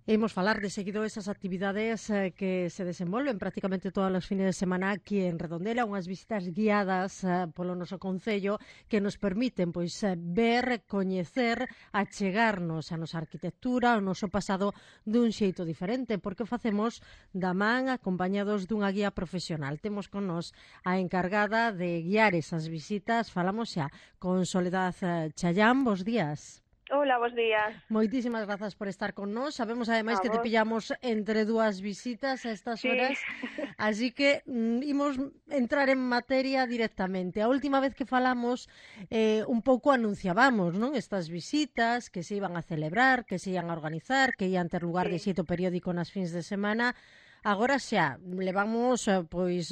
Imos falar de seguido esas actividades que se desenvolven prácticamente todos os fines de semana aquí en Redondela, unhas visitas guiadas polo noso concello que nos permiten ver, coñecer, achegarnos a nosa arquitectura, ao noso pasado dun xeito diferente, porque o facemos da man acompañados dunha guía profesional. Temos con nos a encargada de guiar esas visitas, falamos xa con Soledad Chayán, bos días. Hola, bos días. Moitísimas grazas por estar con nós. Sabemos ademais A que te vos. pillamos entre dúas visitas a estas Sí. horas, así que imos entrar en materia directamente. A última vez que falamos un pouco anunciábamos, non? Estas visitas que se iban a celebrar, que se iban a organizar, que ian ter lugar de Sí. xeito periódico nas fins de semana. Agora xa, levamos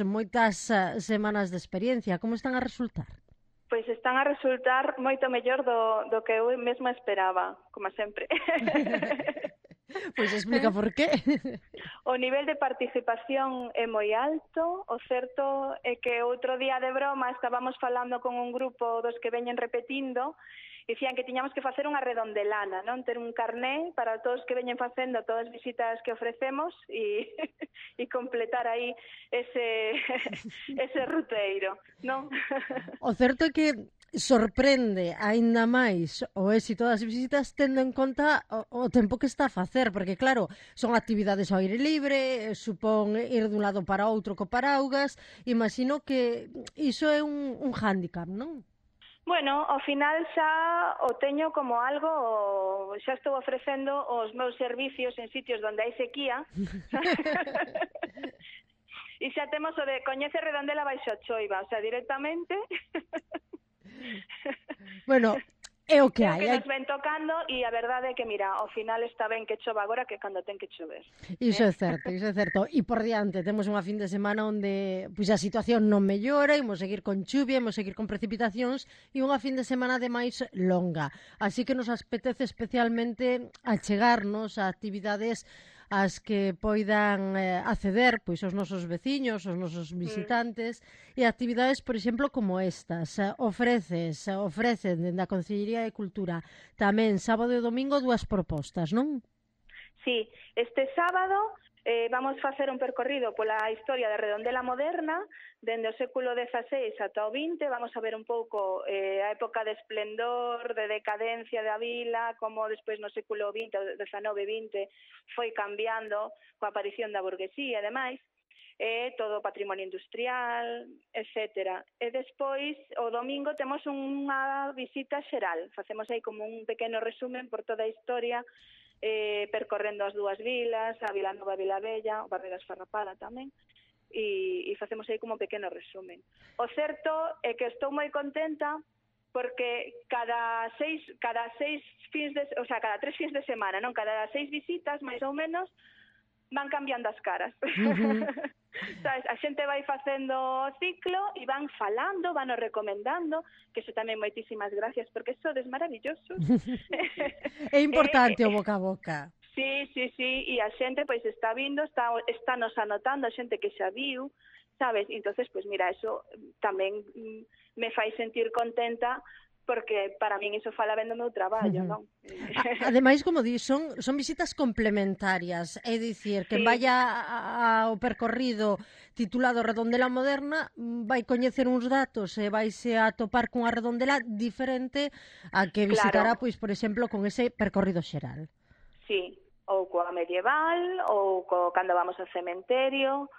moitas semanas de experiencia. Como están a resultar? Pois están a resultar moito mellor do que eu mesma esperaba, como sempre. Pois explica por qué. O nivel de participación é moi alto. O certo é que outro día de broma estábamos falando con un grupo dos que veñen repetindo. Dicían que tiñamos que facer unha redondelana, non? Ter un carné para todos que veñen facendo todas as visitas que ofrecemos e completar aí ese ruteiro, non? O certo é que sorprende aínda máis o éxito das visitas tendo en conta o tempo que está a facer, porque claro, son actividades ao aire libre, supón ir dun lado para outro co paraugas, imagino que iso é un hándicap, non? Bueno, ao final xa o teño como algo, xa estou ofrecendo os meus servicios en sitios onde hai sequía. E xa temos o de coñece Redondela baixo a choiva, o sea, directamente. Bueno, é o que É o hai. que nos ven tocando e a verdade é que, mira, ao final está ben que chova agora que cando ten que chover. Iso é certo, iso é certo. E por diante temos unha fin de semana onde a situación non mellora, imos seguir con chuvia, imos seguir con precipitacións e unha fin de semana ademais longa. Así que nos apetece especialmente achegarnos a actividades ás que poidan acceder os nosos veciños, os nosos visitantes e actividades, por exemplo, como estas. Ofrecen dende a Consellería de Cultura tamén sábado e domingo dúas propostas, non? Sí, este sábado vamos facer un percorrido pola historia da Redondela moderna, dende o século XVI ata o XX. Vamos a ver un pouco a época de esplendor, de decadencia da vila, como despois no século XX, XIX-XX, foi cambiando coa aparición da burguesía e demais, todo o patrimonio industrial, etc. E despois, o domingo, temos unha visita xeral. Facemos aí como un pequeno resumen por toda a historia, percorrendo as dúas vilas, a Vila Nova e a Vila Bella, o barrio da Esfarrapada tamén, e facemos aí como un pequeno resumen. O certo é que estou moi contenta porque cada tres fins de semana, non, cada 6 visitas, máis ou menos, van cambiando as caras. Sabes, a xente vai facendo o ciclo e van falando, van o recomendando, que iso tamén moitísimas gracias, porque sodes maravillosos. É importante o boca a boca. Sí, e a xente pois está vindo, está nos anotando, a xente que xa viu, sabes? Entonces, pois mira, eso tamén me fai sentir contenta, porque para min iso fala ben do meu traballo, non? Ademais, como di, son visitas complementarias, é dicir, que vaya ao percorrido titulado Redondela Moderna vai coñecer uns datos e vaise a topar cunha redondela diferente a que visitará, pois, por exemplo, con ese percorrido xeral. Sí, ou coa medieval, ou cando vamos ao cementerio,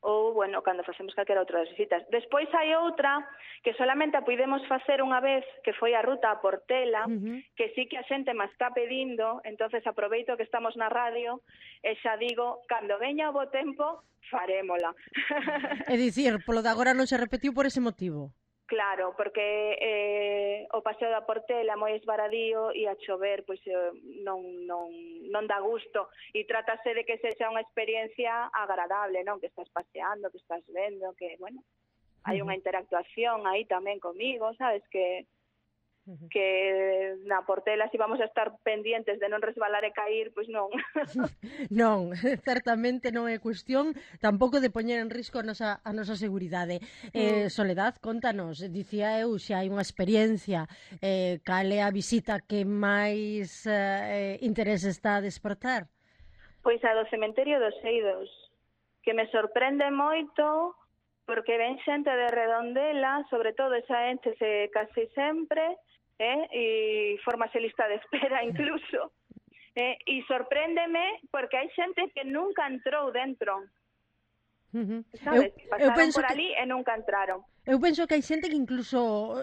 ou, bueno, cando facemos calquera outra das visitas. Despois hai outra que solamente a puidemos facer unha vez, que foi a ruta a Portela, que sí que a xente me está pedindo, entonces aproveito que estamos na radio e xa digo, cando veña o bo tempo, farémola. É dicir, polo de agora non se repetiu por ese motivo. Claro, porque o paseo da Portela é moi esvaradío e a chover pois non dá gusto, e trátase de que sexa unha experiencia agradable, non? Que estás paseando, que estás vendo, que, bueno, hai unha interactuación aí tamén comigo, sabes, que na Portela si vamos a estar pendientes de non resbalar e cair, pois non. Non, certamente non é cuestión tampouco de poñer en risco a nosa seguridade. Soledad, contanos, dicía eu, xa hai unha experiencia, cal é a visita que máis interés está a despertar? Pois a do cementerio dos Eidos, que me sorprende moito porque ven xente de Redondela, sobre todo esa ente se case sempre, e formase lista de espera incluso, e sorpréndeme porque hai xente que nunca entrou dentro, sabes? Pasaron por ali e nunca entraron. Eu penso que hai xente que incluso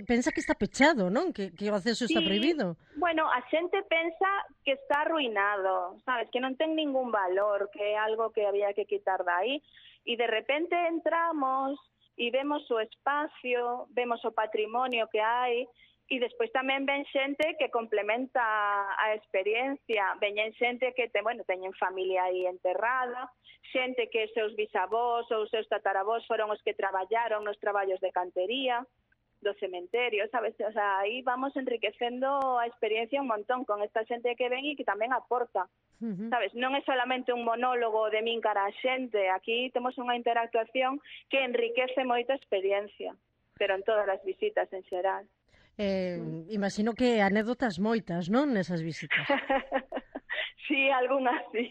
pensa que está pechado, non? Que o acceso está prohibido. Bueno, a xente pensa que está arruinado, sabes? Que non ten ningún valor, que é algo que había que quitar de aí. E de repente entramos e vemos o espacio, vemos o patrimonio que hai, e despois tamén ven xente que complementa a experiencia. Veñen xente que teñen familia aí enterrada, xente que seus bisavós ou seus tataravós foron os que traballaron nos traballos de cantería do cementerio, sabes? O sea, aí vamos enriquecendo a experiencia un montón con esta xente que ven e que tamén aporta, sabes? Non é solamente un monólogo de min cara a xente, aquí temos unha interactuación que enriquece moito a experiencia, pero en todas as visitas en xeral. Imagino que anécdotas moitas, non, nesas visitas? Sí, algunhas sí.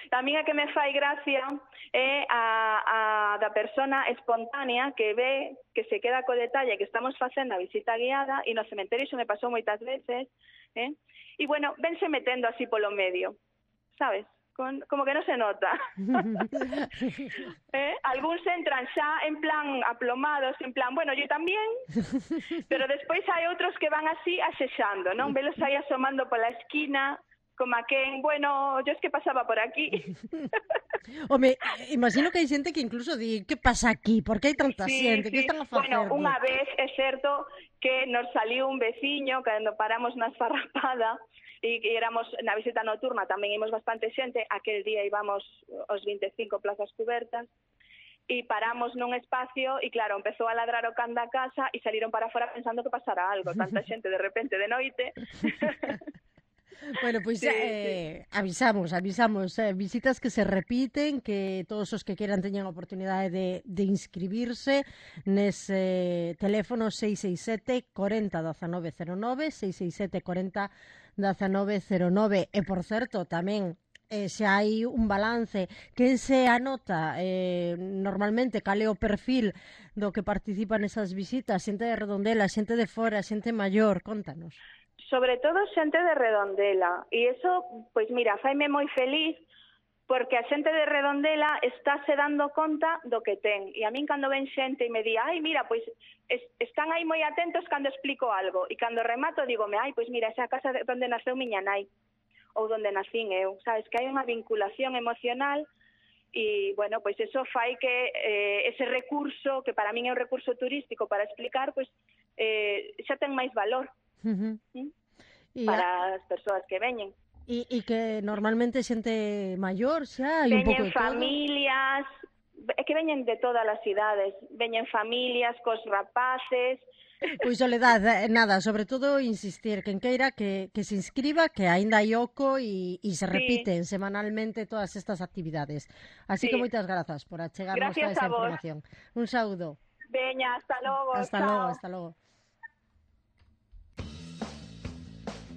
A min a que me fai gracia é a da persona espontánea que ve, que se queda co detalle que estamos facendo a visita guiada, e no cementerio iso me pasou moitas veces, e bueno, vense metendo así polo medio, sabes? Como que non se nota. Algúns entran xa en plan aplomados, en plan, bueno, yo tamén, pero despois hai outros que van así asexando, non? Velos aí asomando pola esquina, como a quen, bueno, yo es que pasaba por aquí. Home, imagino que hai xente que incluso di, que pasa aquí? Por que hai tanta xente? Que están a facer? Bueno, unha vez é certo que nos saliu un veciño cando paramos na esfarrapada e éramos na visita nocturna, tamén íbamos bastante xente, aquel día íbamos os 25 plazas cubertas, e paramos nun espacio e claro, empezou a ladrar o can da casa e saliron para fora pensando que pasara algo, tanta xente de repente de noite. Bueno, pois avisamos, visitas que se repiten, que todos os que queran teñan a oportunidade de inscribirse nese teléfono 667 40 1909, 667 40 1909, e por certo, tamén se hai un balance que se anota normalmente cal é o perfil do que participa nesas visitas, xente de Redondela, xente de fora, xente maior, contanos. Sobre todo xente de Redondela, e iso, pois mira, faime moi feliz porque a xente de Redondela estáse dando conta do que ten. E a min cando ven xente e me di, ai, mira, pois están aí moi atentos cando explico algo. E cando remato, dígome, ai, pois mira, esa casa onde naceu miña nai, ou onde nacín eu. Sabes, que hai unha vinculación emocional e, bueno, pois eso fai que ese recurso, que para min é un recurso turístico para explicar, pois xa ten máis valor para as persoas que veñen. E que normalmente xente maior xa hai un pouco de todo. Veñen familias, é que veñen de todas as idades, veñen familias cos rapaces. Pois Soledad, nada, sobre todo insistir, quen queira que se inscriba, que aínda hai oco e se repiten semanalmente todas estas actividades. Así que moitas grazas por achegarnos toda esa información. Un saúdo. Veña, hasta logo. Hasta logo, hasta logo.